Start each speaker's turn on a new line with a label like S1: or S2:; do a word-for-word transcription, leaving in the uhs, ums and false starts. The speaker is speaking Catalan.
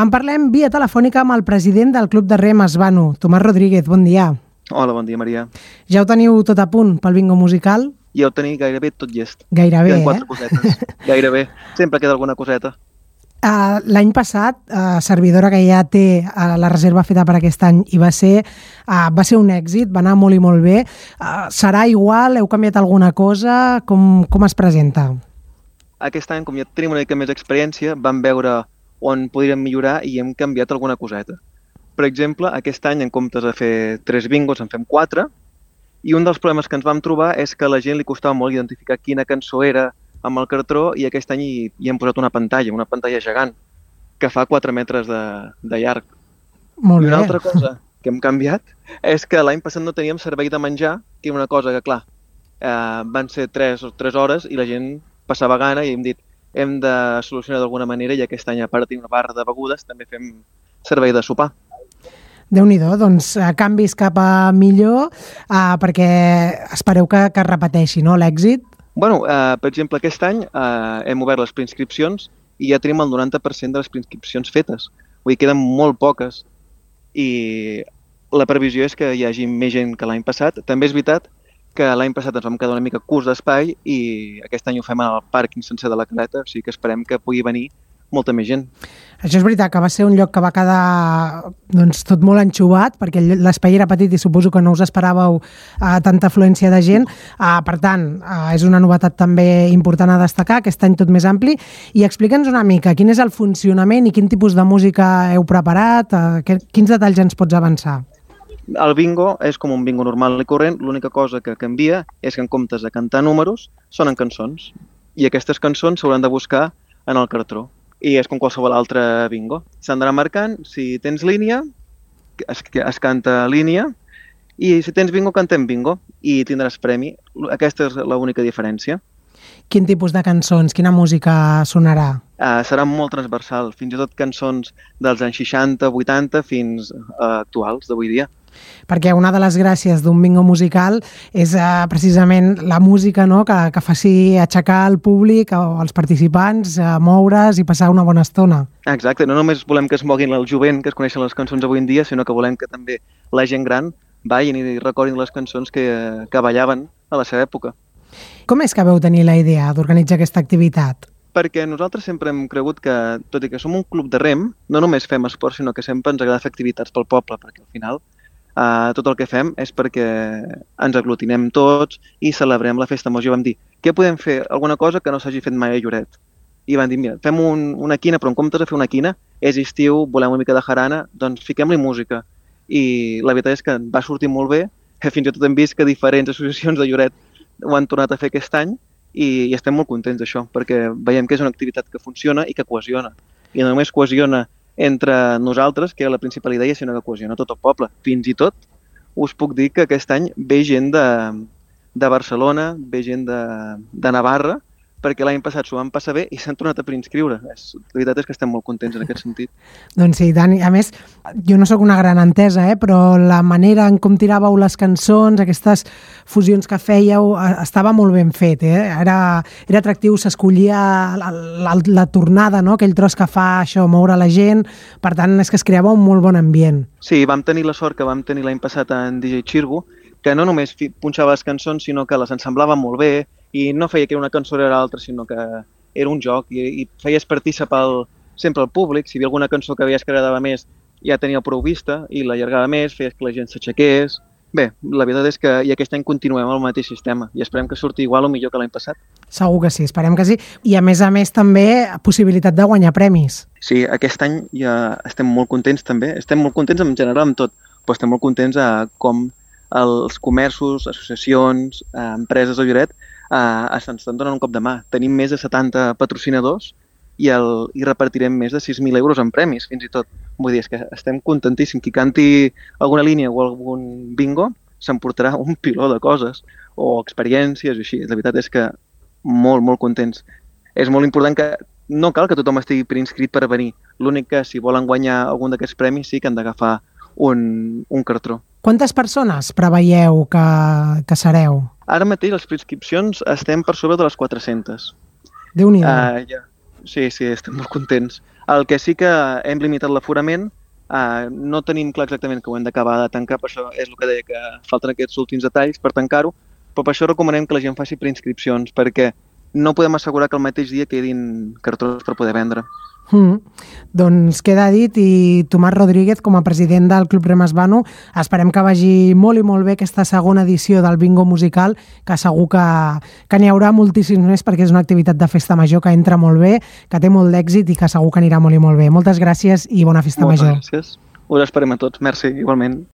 S1: En parlem via telefònica amb el president del Club de Rem Esvano, Tomàs Rodríguez. Bon dia.
S2: Hola, bon dia, Maria.
S1: Ja ho teniu tot a punt pel bingo musical?
S2: Ja ho teniu gairebé tot llest.
S1: Gairebé,
S2: Queden quatre
S1: eh?
S2: cosetes. Gairebé. Sempre queda alguna coseta.
S1: Uh, L'any passat, uh, Servidora, que ja té uh, la reserva feta per aquest any, i va ser, uh, va ser un èxit, va anar molt i molt bé. Uh, serà igual? Heu canviat alguna cosa? Com, com es presenta?
S2: Aquest any, com ja tenim una mica més experiència, vam veure on podríem millorar i hem canviat alguna coseta. Per exemple, aquest any, en comptes de fer tres bingos, en fem quatre, i un dels problemes que ens vam trobar és que a la gent li costava molt identificar quina cançó era amb el cartró, i aquest any hi, hi hem posat una pantalla, una pantalla gegant, que fa quatre metres de, de llarg.
S1: Molt
S2: I una
S1: bé.
S2: altra cosa que hem canviat és que l'any passat no teníem servei de menjar, que era una cosa que, clar, eh, van ser tres, tres hores i la gent passava gana, i hem dit hem de solucionar d'alguna manera, i aquest any, a part de tenir una barra de begudes, també fem servei de sopar.
S1: Déu-n'hi-do, doncs eh, canvis cap a millor, eh, perquè espereu que, que es repeteixi, no?, l'èxit.
S2: Bueno, eh, per exemple, aquest any eh, hem obert les preinscripcions i ja tenim el noranta per cent de les preinscripcions fetes. Vull dir, queden molt poques i la previsió és que hi hagi més gent que l'any passat. També és veritat que l'any passat ens vam quedar una mica curts d'espai i aquest any ho fem al pàrquing sencer de la Caleta, o sigui que esperem que pugui venir molta més gent.
S1: Això és veritat, que va ser un lloc que va quedar doncs, tot molt enxuvat, perquè l'espai era petit i suposo que no us esperàveu uh, tanta afluència de gent. Uh, per tant, uh, és una novetat també important a destacar, aquest any tot més ampli. I explica'ns una mica quin és el funcionament i quin tipus de música heu preparat, uh, que, quins detalls ens pots avançar?
S2: El bingo és com un bingo normal i corrent, l'única cosa que canvia és que en comptes de cantar números, sonen cançons. I aquestes cançons s'hauran de buscar en el cartró. I és com qualsevol altre bingo. S'han d'anar marcant, si tens línia, es, es canta línia, i si tens bingo, cantem bingo, i tindràs premi. Aquesta és l'única diferència.
S1: Quin tipus de cançons, quina música sonarà?
S2: Uh, serà molt transversal, fins i tot cançons dels anys seixanta, vuitanta, fins uh, actuals, d'avui dia.
S1: Perquè una de les gràcies d'un bingo musical és uh, precisament la música, no?, que, que faci aixecar el públic o els participants, uh, moure's i passar una bona estona.
S2: Exacte, no només volem que es moguin el jovent, que es coneixen les cançons avui en dia, sinó que volem que també la gent gran vagin i recordin les cançons que, que ballaven a la seva època.
S1: Com és que veu tenir la idea d'organitzar aquesta activitat?
S2: Perquè nosaltres sempre hem cregut que, tot i que som un club de rem, no només fem esport, sinó que sempre ens agrada fer activitats pel poble, perquè al final Uh, tot el que fem és perquè ens aglutinem tots i celebrem la festa major. Vam dir, què podem fer? Alguna cosa que no s'hagi fet mai a Lloret. I van dir, mira, fem un, una quina, però en comptes de fer una quina, és estiu, volem una mica de jarana, doncs fiquem-li música. I la veritat és que va sortir molt bé, fins i tot hem vist que diferents associacions de Lloret ho han tornat a fer aquest any i, i estem molt contents d'això, perquè veiem que és una activitat que funciona i que cohesiona. I no només cohesiona entre nosaltres, que era la principal idea, sinó que cohesiona tot el poble. Fins i tot us puc dir que aquest any ve gent de, de Barcelona, ve gent de, de Navarra, perquè l'any passat s'ho van passar bé i s'han tornat a preinscriure. És, la veritat és que estem molt contents en aquest sentit.
S1: Doncs sí, Dani, a més, jo no sóc una gran entesa, eh, però la manera en com tiràveu les cançons, aquestes fusions que fèieu, estava molt ben fet. Eh? Era, era atractiu, s'escollia la, la, la tornada, no? Aquell tros que fa això, moure la gent. Per tant, és que es creava un molt bon ambient.
S2: Sí, vam tenir la sort que vam tenir l'any passat en D J Xirgo, que no només punxava les cançons, sinó que les ensemblava molt bé, i no feia que una cançó era l'altra, sinó que era un joc i, i feies partícipar el, sempre el públic. Si hi havia alguna cançó que veies que agradava més, ja tenia prou vista i l'allargava més, feies que la gent s'aixequés. Bé, la veritat és que i aquest any continuem amb el mateix sistema i esperem que surti igual o millor que l'any passat.
S1: Segur que sí, esperem que sí. I a més a més també possibilitat de guanyar premis.
S2: Sí, aquest any ja estem molt contents també. Estem molt contents en general amb tot, però estem molt contents a com els comerços, associacions, empreses de Lloret Uh, ens estan donant un cop de mà. Tenim més de setanta patrocinadors i, el, i repartirem més de sis mil euros en premis, fins i tot. Vull dir, és que estem contentíssims. Qui canti alguna línia o algun bingo s'emportarà un piló de coses o experiències i així. La veritat és que molt, molt contents. És molt important que no cal que tothom estigui preinscrit per venir. L'únic que si volen guanyar algun d'aquests premis sí que han d'agafar un, un cartró.
S1: Quantes persones preveieu que, que sereu?
S2: Ara mateix les preinscripcions estem per sobre de les quatre-centes.
S1: Déu-n'hi-do.
S2: Uh, ja. Sí, sí, estem molt contents. El que sí que hem limitat l'aforament, uh, no tenim clar exactament que ho hem d'acabar de tancar, per això és el que deia, que falten aquests últims detalls per tancar-ho, però per això recomanem que la gent faci preinscripcions, perquè no podem assegurar que el mateix dia quedin cartrons per poder vendre.
S1: Mm. Doncs queda dit, i Tomàs Rodríguez, com a president del Club Rem Es Vano, esperem que vagi molt i molt bé aquesta segona edició del bingo musical, que segur que, que n'hi haurà moltíssims més, perquè és una activitat de festa major que entra molt bé, que té molt d'èxit i que segur que anirà molt i molt bé. Moltes gràcies i bona festa
S2: Moltes
S1: major.
S2: Gràcies. Us esperem a tots. Merci, igualment.